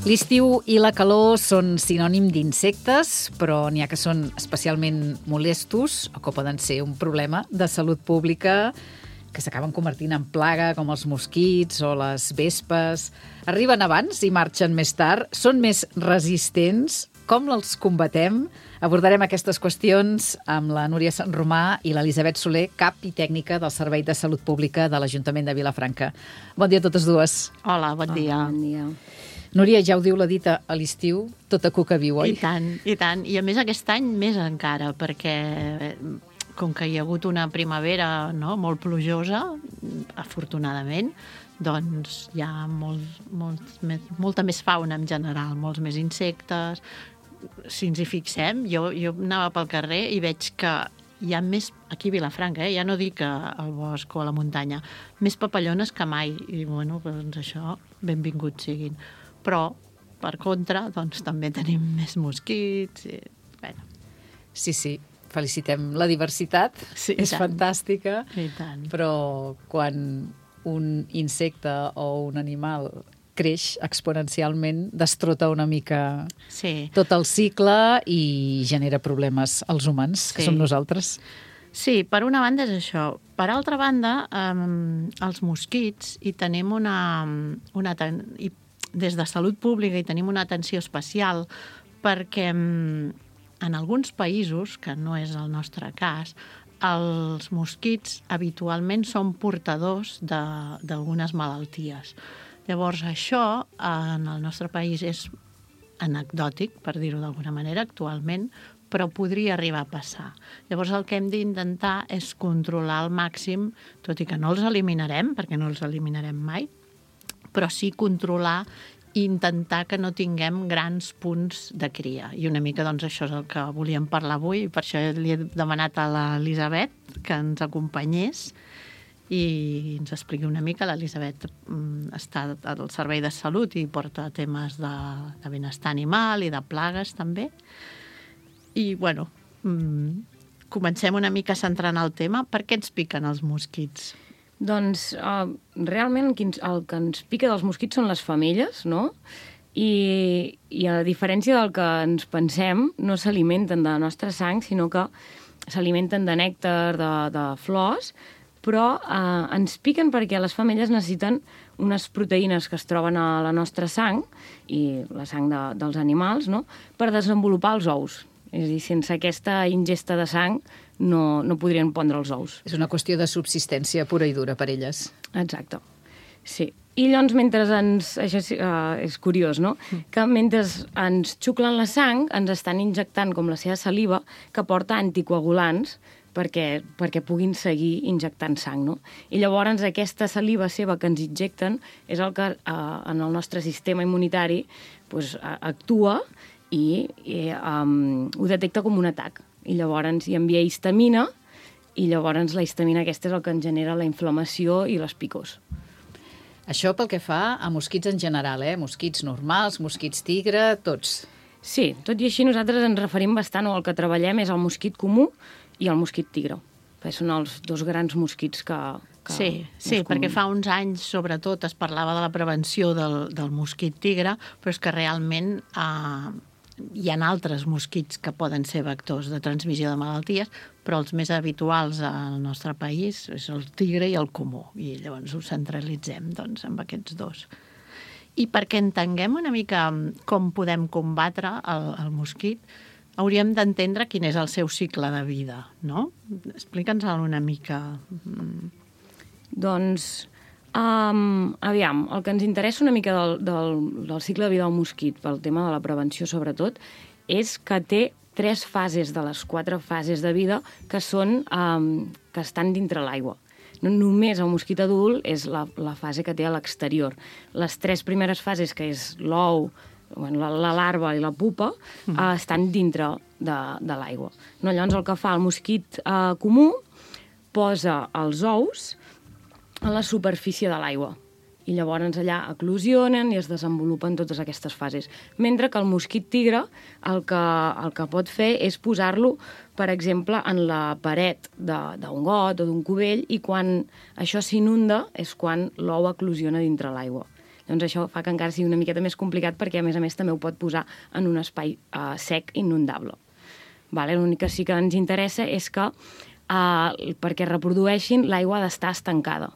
L'estiu i la calor són sinònim d'insectes, però n'hi ha que són especialment molestos o que poden ser un problema de salut pública que s'acaben convertint en plaga, com els mosquits o les vespes. Arriben abans i marxen més tard, són més resistents. Com els combatem? Abordarem aquestes qüestions amb la Núria Sanromà i l'Elisabet Soler, cap i tècnica del Servei de Salut Pública de l'Ajuntament de Vilafranca. Bon dia a totes dues. Hola, bon dia. Bon dia. Núria, ja ho diu la dita, a l'estiu tota cuca viu, oi? I tant, i tant. I a més aquest any més encara, perquè com que hi ha hagut una primavera molt plujosa, afortunadament, doncs hi ha molta més fauna en general, molts més insectes. Si ens hi fixem, jo anava pel carrer i veig que hi ha més, aquí a Vilafranca, ja no dic al bosc o a la muntanya, més papallones que mai. I bueno, doncs això, benvinguts siguin. Però, per contra, doncs també tenim més mosquits. I, bueno. Sí, felicitem la diversitat, Sí, és fantàstica, I tant. però quan un insecte o un animal creix exponencialment, destrota una mica tot el cicle i genera problemes als humans, que som nosaltres. Sí, per una banda és això. Per altra banda, els mosquits, i tenim des de Salut Pública hi tenim una atenció especial perquè en alguns països, que no és el nostre cas, els mosquits habitualment són portadors d'algunes malalties. Llavors, això en el nostre país és anecdòtic, per dir-ho d'alguna manera, actualment, però podria arribar a passar. Llavors, el que hem d'intentar és controlar al màxim, tot i que no els eliminarem, perquè no els eliminarem mai, però sí controlar i intentar que no tinguem grans punts de cria. I una mica, doncs, això és el que volíem parlar avui, i per això li he demanat a l'Elisabet que ens acompanyés i ens expliqui una mica. L'Elisabet està al Servei de Salut i porta temes de benestar animal i de plagues, també. I, bueno, comencem una mica centrant el tema. Per què ens piquen els mosquits? Doncs realment el que ens pica dels mosquits són les femelles, no? I a diferència del que ens pensem, no s'alimenten de la nostra sang, sinó que s'alimenten de nèctar, de flors, però ens piquen perquè les femelles necessiten unes proteïnes que es troben a la nostra sang, i la sang dels animals, no?, per desenvolupar els ous. És a dir, sense aquesta ingesta de sang no podrien pondre els ous. És una qüestió de subsistència pura i dura per elles. Exacte, sí. I llavors, això és curiós, no?, que mentre ens xuclen la sang, ens estan injectant com la seva saliva, que porta anticoagulants perquè puguin seguir injectant sang, no? I llavors aquesta saliva seva que ens injecten és el que en el nostre sistema immunitari actua i ho detecta com un atac. I llavors hi envia histamina, i llavors la histamina aquesta és el que ens genera la inflamació i les picors. Això pel que fa a mosquits en general, mosquits normals, mosquits tigre, tots. Sí, tot i així nosaltres ens referim bastant, o el que treballem és el mosquit comú i el mosquit tigre, perquè són els dos grans mosquits que Sí, perquè fa uns anys, sobretot, es parlava de la prevenció del mosquit tigre, però és que realment hi ha altres mosquits que poden ser vectors de transmissió de malalties, però els més habituals al nostre país és el tigre i el comú, i llavors ho centralitzem doncs, amb aquests dos. I perquè entenguem una mica com podem combatre el mosquit, hauríem d'entendre quin és el seu cicle de vida, no? Explica'ns-el una mica. Doncs, aviam, el que ens interessa una mica del cicle de vida del mosquit, pel tema de la prevenció sobretot, és que té 3 fases de les 4 fases de vida que estan dintre l'aigua. No només el mosquit adult és la fase que té a l'exterior. Les 3 primeres fases, que és l'ou, la larva i la pupa, estan dintre de l'aigua. Llavors el que fa el mosquit comú posa els ous a la superfície de l'aigua i llavors allà eclosionen i es desenvolupen totes aquestes fases. Mentre que el mosquit tigre el que pot fer és posar-lo, per exemple, en la paret d'un got o d'un cubell, i quan això s'inunda és quan l'ou eclosiona dintre l'aigua. Llavors això fa que encara sigui una miqueta més complicat perquè, a més, també ho pot posar en un espai sec, inundable. Vale? L'únic que sí que ens interessa és que perquè reprodueixin l'aigua ha d'estar estancada.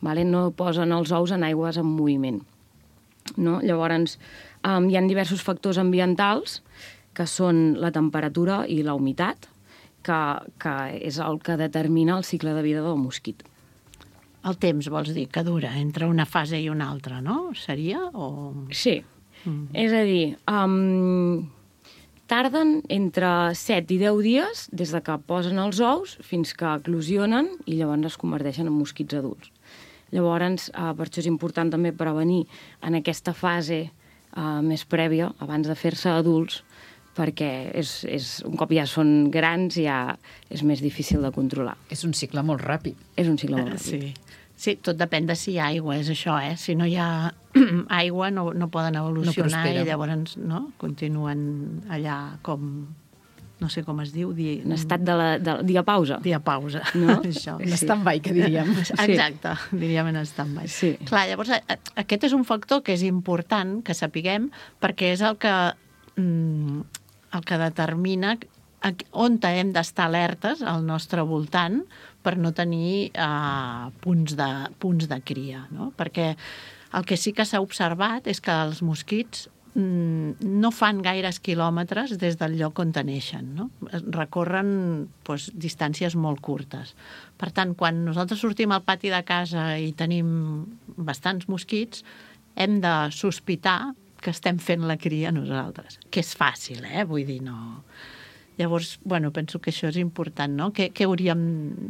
Vale? No posen els ous en aigües en moviment. No? Llavors, hi ha diversos factors ambientals que són la temperatura i la humitat, que és el que determina el cicle de vida del mosquit. El temps, vols dir, que dura entre una fase i una altra, no? Seria? O... Sí. És a dir, tarden entre 7 i 10 dies des de que posen els ous fins que eclosionen i llavors es converteixen en mosquits adults. Llavors, per això és important també prevenir en aquesta fase més prèvia, abans de fer-se adults, perquè un cop ja són grans ja és més difícil de controlar. És un cicle molt ràpid. És un cicle molt ràpid. Sí, tot depèn de si hi ha aigua, és això, eh? Si no hi ha aigua no poden evolucionar i llavors continuen allà com... no sé com es diu... En estat de diapausa. Diapausa, no? Això. En stand-by, que diríem. Exacte, diríem en stand-by. Sí. Clar, llavors aquest és un factor que és important que sapiguem perquè és el que determina on hem d'estar alertes al nostre voltant per no tenir punts de cria, no? Perquè el que sí que s'ha observat és que els mosquits no fan gaires quilòmetres des del lloc on neixen, no? Recorren distàncies molt curtes. Per tant, quan nosaltres sortim al pati de casa i tenim bastants mosquits, hem de sospitar que estem fent la cria nosaltres. Que és fàcil, vull dir, no... Llavors, penso que això és important, no? Què hauríem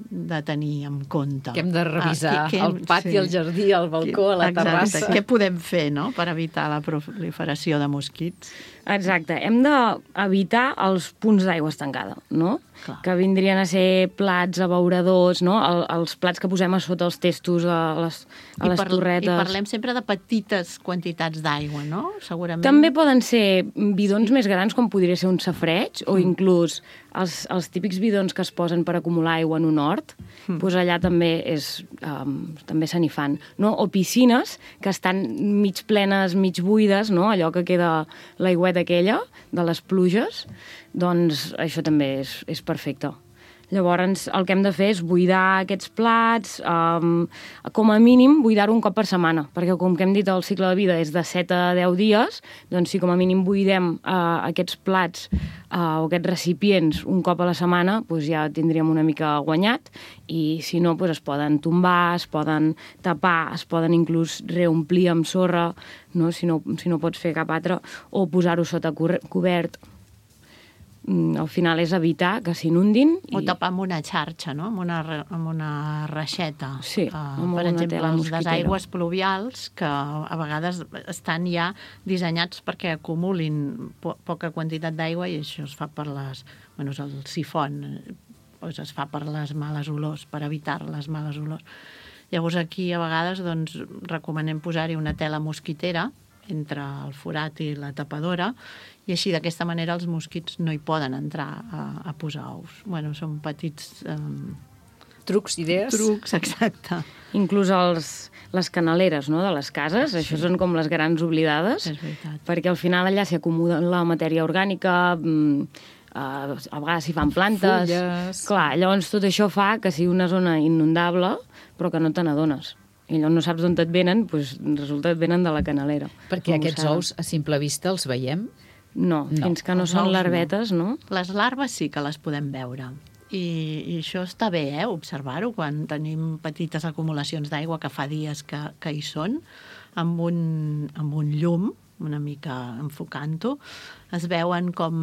de tenir en compte? Que hem de revisar el pati, el jardí, el balcó, la terrassa. Què podem fer, no?, per evitar la proliferació de mosquits? Exacte. Hem d'evitar els punts d'aigua estancada, no? Clar. Que vindrien a ser plats, abeuradors, no? Els plats que posem a sota els testos, a les torretes. I parlem sempre de petites quantitats d'aigua, no? Segurament. També poden ser bidons més grans, com podria ser un safareig, o inclús els típics bidons que es posen per acumular aigua en un hort, doncs allà també també se n'hi fan. No? O piscines que estan mig plenes, mig buides, no? Allò que queda l'aigüeta aquella de les pluges, doncs això també és perfecte. Llavors, el que hem de fer és buidar aquests plats, com a mínim, buidar-ho un cop per setmana, perquè com que hem dit, el cicle de vida és de 7 a 10 dies, doncs si com a mínim buidem aquests plats o aquests recipients un cop a la setmana, doncs ja tindríem una mica guanyat, i si no, doncs es poden tombar, es poden tapar, es poden inclús reomplir amb sorra, no? Si no pots fer cap altre, o posar-ho sota cobert. Al final és evitar que s'inundin. O tapar amb una xarxa, no? Amb una reixeta. Sí, per exemple, els desaigües pluvials, que a vegades estan ja dissenyats perquè acumulin poca quantitat d'aigua, i això es fa per el sifon, es fa per les males olors, per evitar les males olors. Llavors aquí a vegades recomanem posar-hi una tela mosquitera entre el forat i la tapadora, i així d'aquesta manera els mosquits no hi poden entrar a posar ous. Són petits... Trucs, idees. Trucs, exacte. Inclús les canaleres, no?, de les cases, això són com les grans oblidades, perquè al final allà s'hi acumula la matèria orgànica, a vegades s'hi fan plantes... Fulles... Clar, llavors tot això fa que sigui una zona inundable, però que no te n'adones. I llavors no saps d'on et venen, doncs resulta que et venen de la canalera. Perquè aquests ous, a simple vista, els veiem? No, fins que no són larvetes, no. Les larves sí que les podem veure. I això està bé, observar-ho, quan tenim petites acumulacions d'aigua que fa dies que hi són, amb un llum, una mica enfocant-ho, es veuen com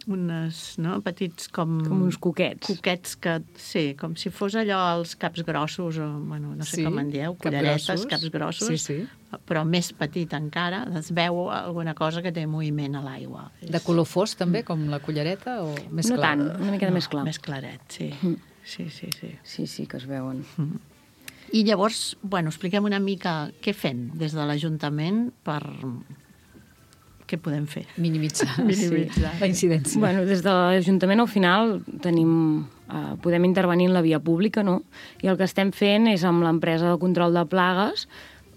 unes, no?, petits com uns coquets. Coquets que, sí, com si fos allò els caps grossos, o, no sé com en dieu, culleretes, caps grossos, sí. Però més petit encara, es veu alguna cosa que té moviment a l'aigua. De color fos, també, com la cullereta, o més clar? No tant, una mica més clar. Més claret, sí. Sí. Sí, que es veuen. I llavors, expliquem una mica què fem des de l'Ajuntament per... Què podem fer? Minimitzar la incidència. Des de l'Ajuntament, al final, podem intervenir en la via pública, no? I el que estem fent és, amb l'empresa de control de plagues,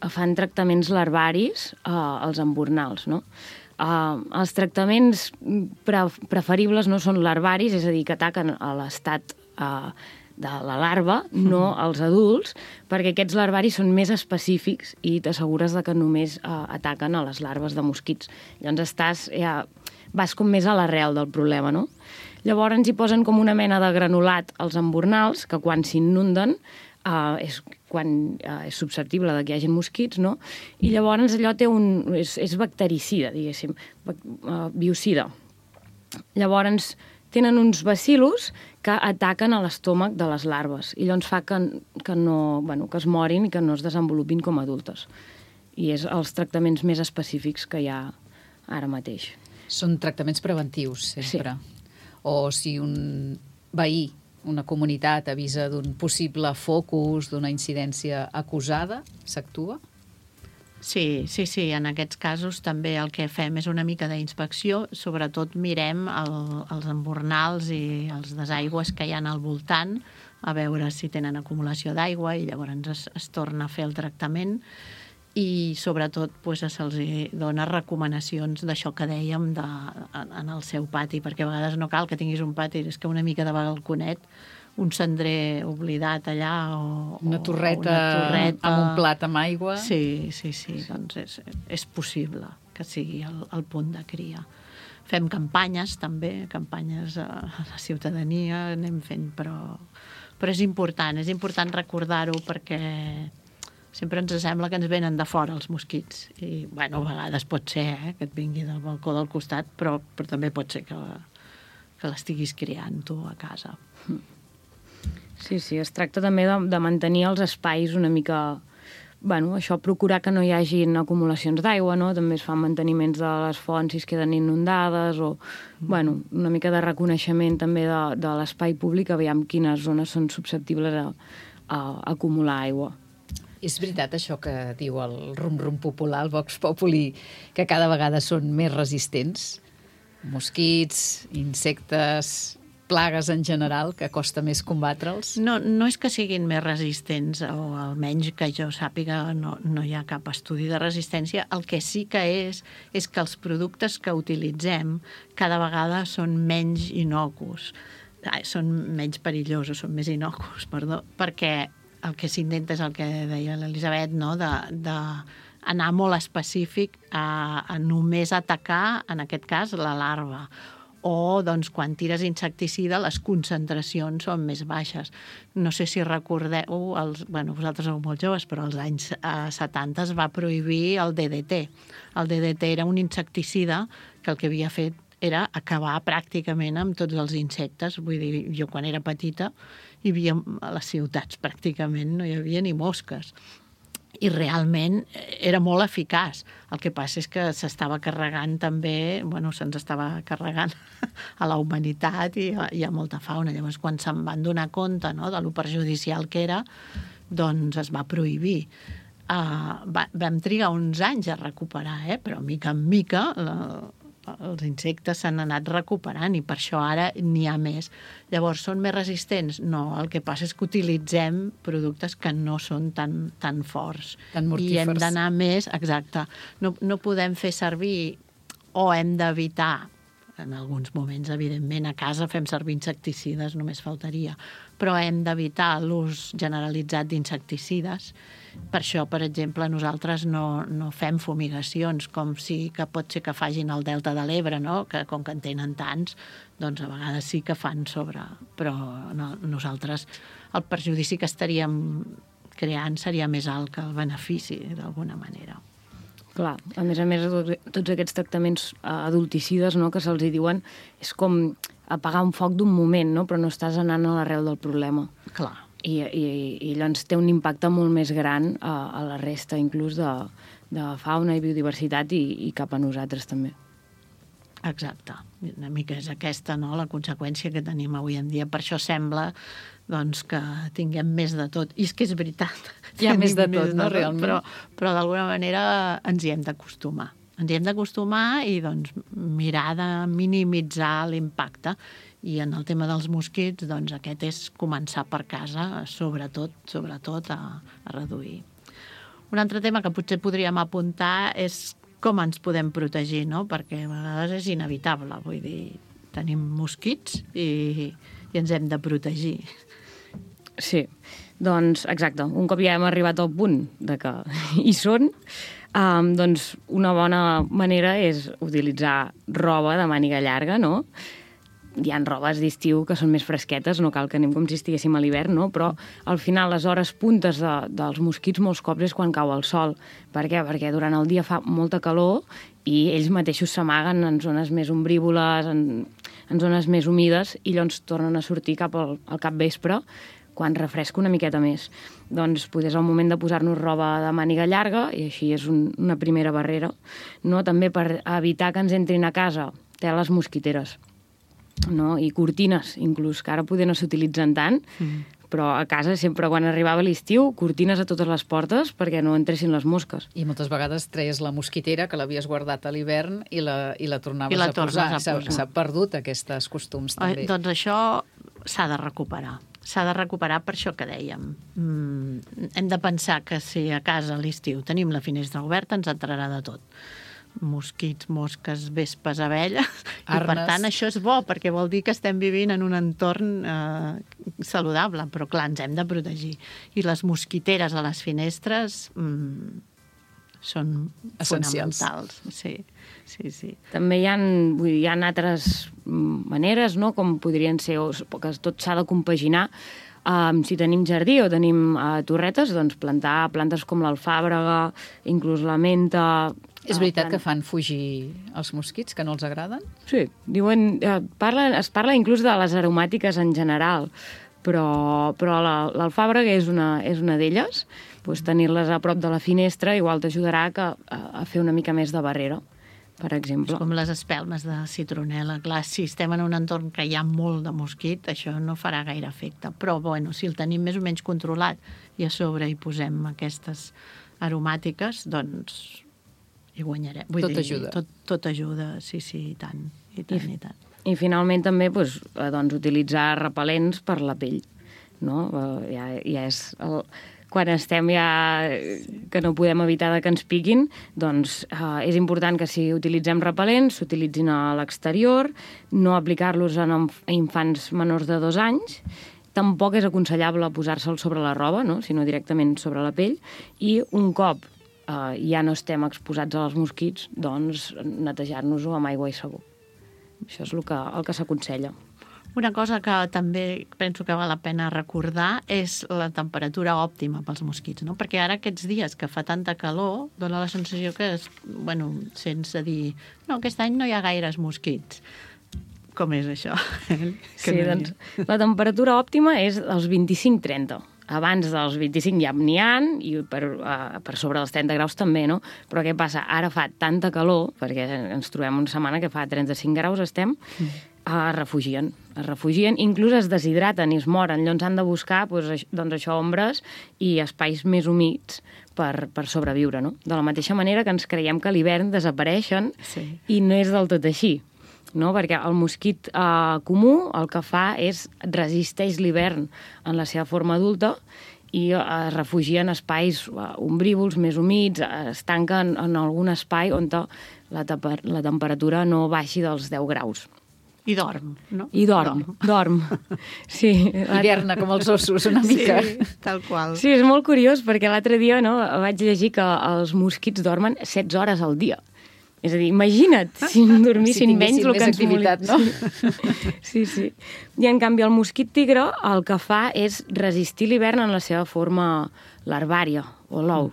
fan tractaments larvaris als embornals, no? Els tractaments preferibles no són larvaris, és a dir, que ataquen a l'estat de la larva, no als adults, perquè aquests larvaris són més específics i t'assegures que només ataquen a les larves de mosquits. Llavors vas com més a l'arrel del problema, no? Llavors hi posen com una mena de granulat als embornals, que quan s'inunden és susceptible de que hi hagi mosquits, no? I llavors allò és bactericida, diguéssim, biocida. Llavors tenen uns bacil·lus que ataquen a l'estómac de les larves i llavors fa que es morin i que no es desenvolupin com adultes. I és els tractaments més específics que hi ha ara mateix. Són tractaments preventius, sempre. Sí. O si un veí, una comunitat, avisa d'un possible focus, d'una incidència acusada, s'actua? Sí, en aquests casos també el que fem és una mica d'inspecció, sobretot mirem els embornals i els desaigües que hi ha al voltant, a veure si tenen acumulació d'aigua i llavors es torna a fer el tractament i sobretot se'ls dona recomanacions d'això que dèiem en el seu pati, perquè a vegades no cal que tinguis un pati, és que una mica de balconet, un cendrer oblidat allà o una torreta amb un plat amb aigua. Sí, doncs és possible que sigui el punt de cria. Fem campanyes també, campanyes a la ciutadania, anem fent, però és important recordar-ho perquè sempre ens sembla que ens venen de fora els mosquits i a vegades pot ser que et vingui del balcó del costat, però també pot ser que l'estiguis criant tu a casa. Sí, es tracta també de mantenir els espais una mica... això, procurar que no hi hagin acumulacions d'aigua, no? També es fan manteniments de les fonts si es queden inundades o, una mica de reconeixement també de l'espai públic, aviam quines zones són susceptibles a acumular aigua. És veritat això que diu el rum-rum popular, el Vox Populi, que cada vegada són més resistents? Mosquits, insectes, plagues en general, que costa més combatre'ls? No és que siguin més resistents, o almenys que jo sàpiga no hi ha cap estudi de resistència. El que sí que és que els productes que utilitzem cada vegada són menys innocus. Són menys perillosos, són més innocus, perquè el que s'intenta és el que deia l'Elisabet, no? D'anar molt específic a només atacar, en aquest cas, la larva. O, quan tires insecticida, les concentracions són més baixes. No sé si recordeu, vosaltres sou molt joves, però als anys 70 es va prohibir el DDT. El DDT era un insecticida que el que havia fet era acabar pràcticament amb tots els insectes. Vull dir, jo quan era petita hi havia a les ciutats pràcticament, no hi havia ni mosques. I realment era molt eficaç. El que passa és que s'estava carregant també, se'ns estava carregant a la humanitat i hi ha molta fauna. Llavors, quan se'n van donar compte de lo perjudicial que era, doncs es va prohibir. Vam trigar uns anys a recuperar, però mica en mica els insectes s'han anat recuperant i per això ara n'hi ha més. Llavors, són més resistents? No, el que passa és que utilitzem productes que no són tan forts. Tan mortífers. I hem d'anar més, exacte. No podem fer servir o hem d'evitar, en alguns moments, evidentment, a casa fem servir insecticides, només faltaria, però hem d'evitar l'ús generalitzat d'insecticides. Per això, per exemple, nosaltres no fem fumigacions, com sí que pot ser que facin al Delta de l'Ebre, no? Que com que en tenen tants, doncs a vegades sí que fan sobre... Però nosaltres el perjudici que estaríem creant seria més alt que el benefici, d'alguna manera. Clar, a més, tots aquests tractaments adulticides, no?, que se'ls diuen, és com apagar un foc d'un moment, no?, però no estàs anant a l'arrel del problema. Clar. I llavors té un impacte molt més gran a la resta, inclús de fauna i biodiversitat i cap a nosaltres també. Exacte. Una mica és aquesta, no?, la conseqüència que tenim avui en dia. Per això sembla que tinguem més de tot. I és que és veritat. Hi ha més de tot, no, realment? Però d'alguna manera ens hi hem d'acostumar. Ens hi hem d'acostumar i mirar de minimitzar l'impacte. I en el tema dels mosquits, aquest és començar per casa, sobretot a reduir. Un altre tema que potser podríem apuntar és com ens podem protegir, no? Perquè a vegades és inevitable, vull dir, tenim mosquits i ens hem de protegir. Sí, doncs exacte. Un cop ja hem arribat al punt de que hi són, doncs una bona manera és utilitzar roba de màniga llarga, no? Hi ha robes d'estiu que són més fresquetes, no cal que anem com si estiguéssim a l'hivern, no? Però al final les hores puntes dels mosquits molts cops és quan cau el sol. Per què? Perquè durant el dia fa molta calor i ells mateixos s'amaguen en zones més ombrívoles, en zones més humides, i llavors tornen a sortir cap al capvespre, quan refresca una miqueta més. Doncs potser és el moment de posar-nos roba de màniga llarga, i així és una primera barrera. No? També per evitar que ens entrin a casa teles mosquiteres, no? I cortines, inclús, que ara poder no s'utilitzen tant, però a casa sempre quan arribava l'estiu, cortines a totes les portes perquè no entressin les mosques. I moltes vegades treies la mosquitera que l'havies guardat a l'hivern i la tornaves a posar. S'ha perdut aquests costums també. Doncs això s'ha de recuperar. S'ha de recuperar per això que dèiem. Hem de pensar que si a casa a l'estiu tenim la finestra oberta ens entrarà de tot. Mosquits, mosques, vespes, abelles, i per tant això és bo perquè vol dir que estem vivint en un entorn saludable, però clar, ens hem de protegir. I les mosquiteres a les finestres són essencials. Fonamentals. Sí. També hi ha altres maneres, no? Com podrien ser, que tot s'ha de compaginar. Si tenim jardí o tenim torretes, doncs plantar plantes com l'alfàbrega, inclús la menta. És veritat que fan fugir els mosquits, que no els agraden? Sí, diuen, es parla inclús de les aromàtiques en general, però l'alfàbrega és una d'elles. Pues tenir-les a prop de la finestra igual t'ajudarà a fer una mica més de barrera, per exemple. És com les espelmes de citronela. Clar, si estem en un entorn que hi ha molt de mosquit, això no farà gaire efecte. Però, bueno, si el tenim més o menys controlat i a sobre hi posem aquestes aromàtiques, doncs hi guanyarem. Tot ajuda. Tot ajuda, sí, i tant. I finalment també utilitzar repel·lents per la pell. No? Ja és quan estem que no podem evitar que ens piquin, doncs és important que si utilitzem repel·lents s'utilitzin a l'exterior, no aplicar-los a infants menors de 2 anys. Tampoc és aconsellable posar-se'l sobre la roba, no? Sinó directament sobre la pell, i un cop ja no estem exposats als mosquits, doncs netejar-nos-ho amb aigua i sabó. Això és el que s'aconsella. Una cosa que també penso que val la pena recordar és la temperatura òptima pels mosquits, no? Perquè ara aquests dies que fa tanta calor dona la sensació que, sense dir no, aquest any no hi ha gaires mosquits. Com és això? Sí, doncs la temperatura òptima és els 25-30. Abans dels 25 ja n'hi ha, i per sobre dels 30 graus també, no? Però què passa? Ara fa tanta calor, perquè ens trobem una setmana que fa 35 graus, es refugien, inclús es deshidraten i es moren. Llavors han de buscar ombres i espais més humits per sobreviure, no? De la mateixa manera que ens creiem que a l'hivern desapareixen, i no és del tot així. No? Perquè el mosquit comú el que fa és resisteix l'hivern en la seva forma adulta i es refugia en espais ombrívols, més humits, es tanca en algun espai on la temperatura no baixi dels 10 graus. I dorm, no? I dorm. Sí. Hiverna com els ossos, una mica. Sí, tal qual. Sí, és molt curiós, perquè l'altre dia vaig llegir que els mosquits dormen 16 hores al dia. És a dir, imagina't si dormissin menys el que ens activitat, no? Sí. I en canvi el mosquit tigre el que fa és resistir l'hivern en la seva forma larvària o l'ou.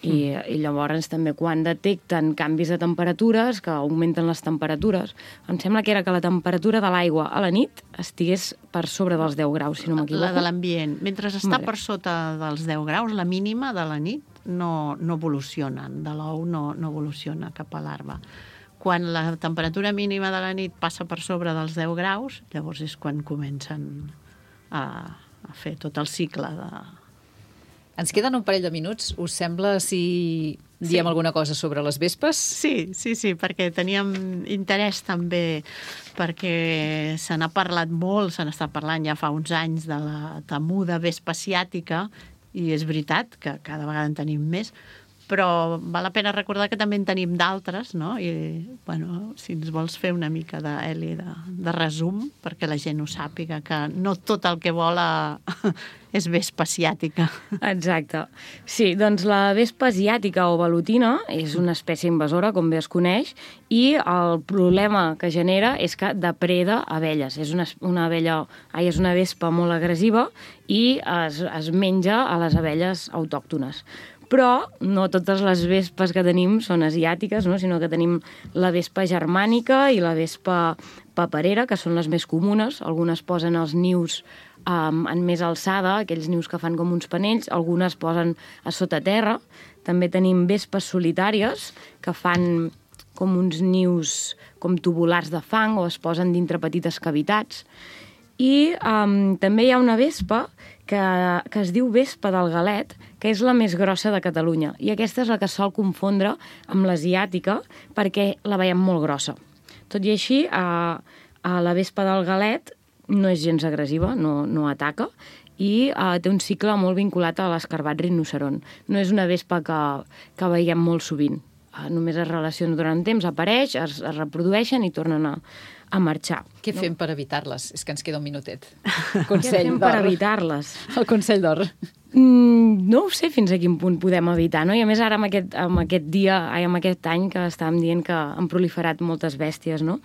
I llavors també quan detecten canvis de temperatures, que augmenten les temperatures, em sembla que era que la temperatura de l'aigua a la nit estigués per sobre dels 10 graus, si no m'equivoco. La de l'ambient. Mentre està per sota dels 10 graus, la mínima de la nit no evoluciona, de l'ou no evoluciona cap a l'arba. Quan la temperatura mínima de la nit passa per sobre dels 10 graus, llavors és quan comencen a fer tot el cicle de... Ens queden un parell de minuts. Us sembla si diem alguna cosa sobre les vespes? Sí, perquè teníem interès també, perquè se n'ha parlat molt, se n'està parlant ja fa uns anys de la temuda vespa asiàtica, i és veritat que cada vegada en tenim més, però val la pena recordar que també en tenim d'altres, no? I, bueno, si ens vols fer una mica de resum, perquè la gent ho sàpiga, que no tot el que vola és vespa asiàtica. Exacte. Sí, doncs la vespa asiàtica o velutina és una espècie invasora, com bé es coneix, i el problema que genera és que depreda abelles. És una vespa molt agressiva i es menja a les abelles autòctones. Però no totes les vespes que tenim són asiàtiques, no? Sinó que tenim la vespa germànica i la vespa paperera, que són les més comunes. Algunes posen els nius en més alçada, aquells nius que fan com uns panells, algunes posen a sota terra. També tenim vespes solitàries, que fan com uns nius com tubulars de fang o es posen dintre petites cavitats. I també hi ha una vespa que es diu vespa del galet, que és la més grossa de Catalunya. I aquesta és la que sol confondre amb l'asiàtica perquè la veiem molt grossa. Tot i així, la vespa del galet no és gens agressiva, no ataca, i té un cicle molt vinculat a l'escarbat rinoceront. No és una vespa que veiem molt sovint. Només es relaciona durant temps, apareix, es reprodueixen i tornen a marxar. Què fem per evitar-les? És que ens queda un minutet. Què fem per evitar-les? El consell d'or. No ho sé fins a quin punt podem evitar, no? I a més ara amb aquest any que estàvem dient que han proliferat moltes bèsties, no?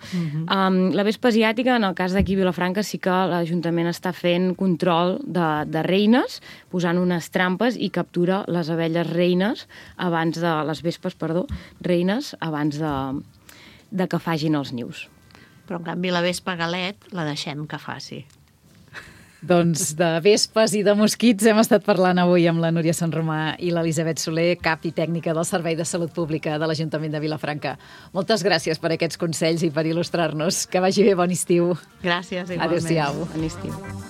La vespa asiàtica, en el cas d'aquí a Vilafranca, sí que l'Ajuntament està fent control de reines, posant unes trampes i captura les abelles reines les vespes, reines, abans de que facin els nius. Però, en canvi, la vespa galet la deixem que faci. Doncs de vespes i de mosquits hem estat parlant avui amb la Núria Sant Romà i l'Elisabet Soler, cap i tècnica del Servei de Salut Pública de l'Ajuntament de Vilafranca. Moltes gràcies per aquests consells i per il·lustrar-nos. Que vagi bé, bon estiu. Gràcies, igualment. Adéu-siau. Bon estiu.